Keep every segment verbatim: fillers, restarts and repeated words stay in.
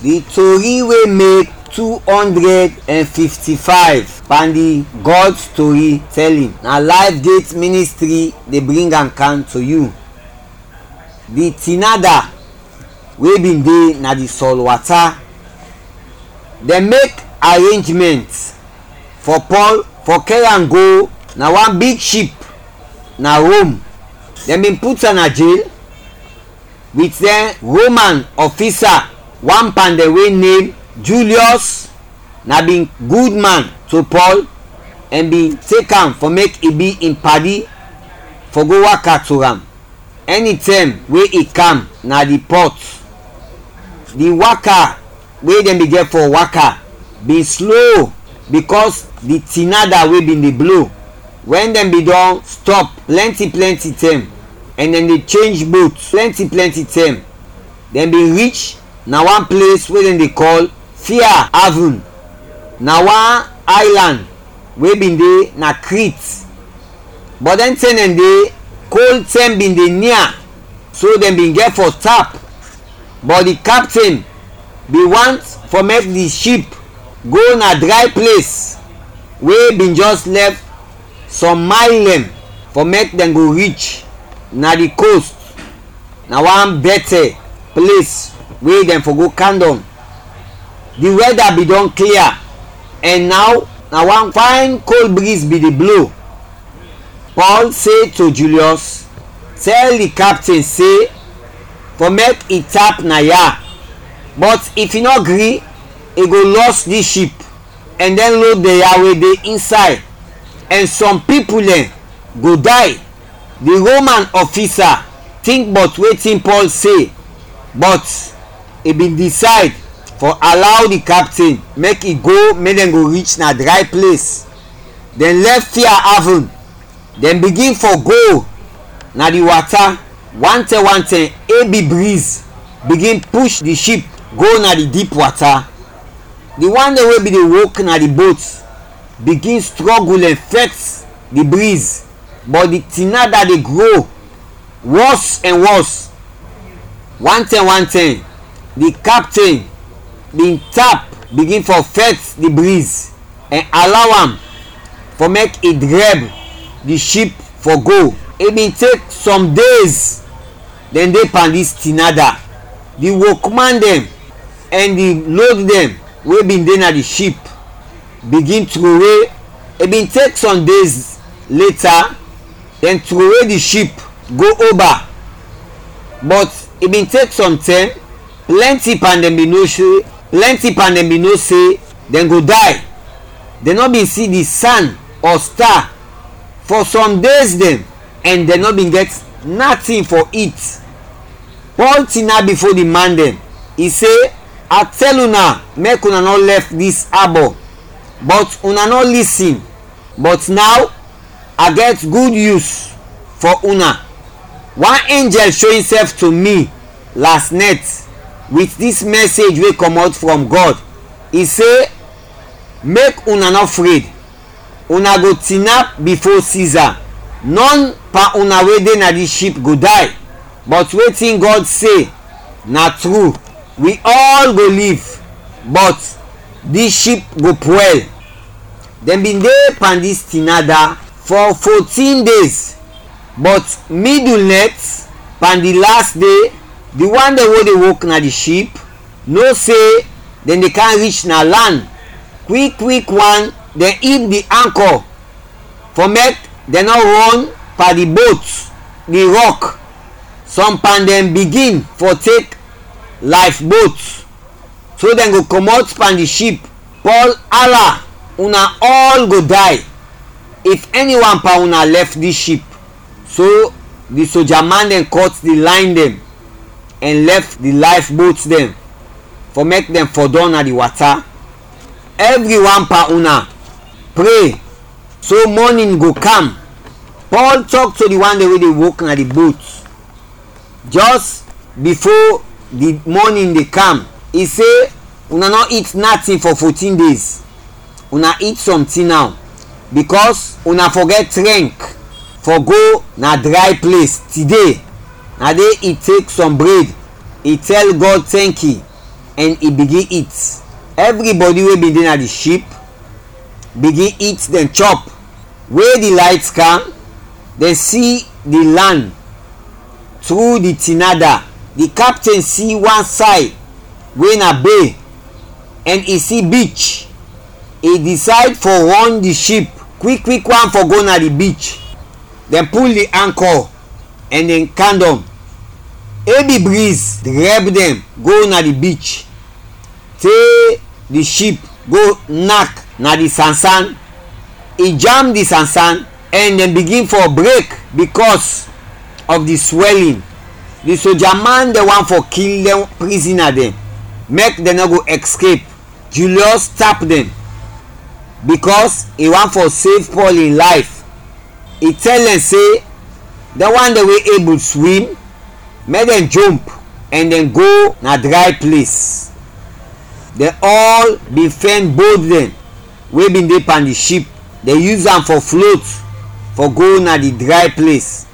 Di tori wey make two hundred and fifty-five pan di God story telling, na Life Gate Ministry dey bring am come to you. Di tinada wey bin dey na di sɔl wata, dem make arrangement for Paul for carry am go na one big ship na Rome. Dem bin put am na jail with dɛn Roman ofisa. One pan dɛn wey name Julius na bin gud man to Paul, ɛn bin tek am fɔ mek i bi in padi fɔ go waka to am ɛnitɛm we i kam na di pɔt. Di waka we dɛn bin gɛt fɔ waka bin slow, bikɔs di tinada we bin de blo. Wɛn dɛn bin dɔn stɔp plɛnti plɛnti tɛm ɛn dɛn de chenj bot plɛnti plɛnti tɛm, dɛn bin rich na wan ples we dɛn de kɔl Fia Avun, na wan aylan we bin de na Krit. Bɔt dɛn tɛm dɛn de, kol tɛm bin de nia, so dɛn bin gɛt fɔ tap. Bɔt di kapten bin want fɔ mek di ship go na dray ples we bin jɔs lɛf sɔm mayl dɛn fɔ mek dɛn go rich na di kost, na wan bɛtɛ ples we dɛn fɔ go kam dɔn. Di wɛda bin dɔn klia, ɛn naw na wan fayn kol briz bin de blo. Pɔl se to Julius, tɛl di kapten se fɔ mek i tap na ya, bɔt if i nɔ gri, i go lɔs di ship ɛn dɛn lod dɛn ya we de insay, ɛn sɔm pipul dɛn go day. Di Roman ofisa tink bɔt wetin Pɔl se, bɔt i bin disayd fɔ alaw di kapten mek i go mek dɛn go rich na dray ples. Dɛn lɛf Fia Avun, dɛn bigin fɔ go na di wata. Wantɛm wantɛm ebi briz bigin push di ship go na di dip wata. Di wan dɛn we bin de wok na di bot bigin strɔgul ɛn fɛt di briz, bɔt di tinada de gro wɔs ɛn wɔs. Wantɛm wantɛm, di kapten bin tap bigin fɔ fɛt di briz ɛn alaw am fɔ mek i drɛb di ship fɔ go. I bin tek sɔm dez dɛn de pan dis tinada. Di wokman dɛn ɛn di lod dɛn we bin de na di ship bigin trowe. I bin tek sɔm dez leta, dɛn trowe di ship go oba. Bɔt i bin tek sɔm tɛm, plɛnti pan dɛn bin no se, plɛnti pan dɛn bin no se dɛn go day. Dɛn nɔ bin si di san ɔ sta fɔ sɔm dez dɛn, ɛn dɛn nɔ bin gɛt natin fɔ it. Pɔl tinap bifo di man dɛn, i se, "A tɛl una mek una nɔ lɛf dis abɔ, bɔt una nɔ lisin. Bɔt naw, a gɛt gud yus fɔ una. Wan enjɛl sho insɛf to mi las nɛt wit dis mɛsej we kɔmɔt frɔm Gɔd. I se, 'Mek una nɔ fred. Una go tinap bifo Siza. Nɔn pan una we de na dis ship go day, bɔt wetin Gɔd se na tru, wi ɔl go liv, bɔt dis ship go pwɛl.'" Dɛn bin de pan dis tinada fɔ fotin dez, bɔt midul nɛt, pan di las de, di wan dɛn we de wok na di ship no se dɛn de kam rich na lan. Kwik kwik wan dɛn ib di ankɔ fɔ mek dɛn nɔ rɔn pan di bot, di rɔk. Sɔm pan dɛn bigin fɔ tek layf-bot, so dɛn go kɔmɔt pan di ship. Pɔl ala, "Una ɔl go day if ɛni wan pan una lɛf dis ship." So di soja man dɛn kɔt di layn dɛn ɛn lɛf di layf-bot dɛn fɔ mek dɛn fɔdɔm na di wata. "Ɛvri wan pan una pre, so mɔnin go kam." Pɔl tɔk to di wan dɛn we de wok na di bot jɔs bifo di mɔnin de kam, i se, "Una nɔ it natin fɔ fotin dez. Una it sɔntin naw, bikɔs una fɔ gɛt trɛnk fɔ go na dray ples tide." Na de i tek sɔm bred, i tɛl Gɔd tɛnki, ɛn i bigin it. Ɛvribɔdi we bin de na di ship bigin it, dɛn chɔp. We di layt kam, dɛn si di lan tru di tinada. Di kapten si wan say we na be, ɛn i si beach. I disayd fɔ rɔn di ship kwik kwik wan fɔ go na di beach. Dɛn pul di ankɔ ɛn dɛn kam dɔng. Ebi briz drɛb dɛn go na di beach te di ship go nak na di sansan. I jam di sansan ɛn dɛn bigin fɔ brek bikɔs ɔf di swɛlin. Di soja man dɛn want fɔ kil dɛn prizina dɛn, mek dɛn nɔ go escape. Julius tap dɛn bikɔs i want fɔ sev Paul in layf. I tɛl dɛn se, dɛn wan dɛn we ebul swim, mek dɛn jomp ɛn dɛn go na dray ples. Dɛn ɔl bin fɛn bod dɛn we bin de pan di ship, dɛn yus am fɔ flot fɔ go na di dray ples.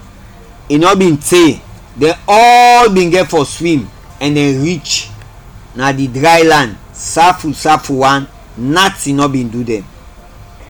I nɔ bin te, dɛn ɔl bin gɛt fɔ swim ɛn dɛn rich na di dray lan safu safu wan, natin nɔ bin du dɛn.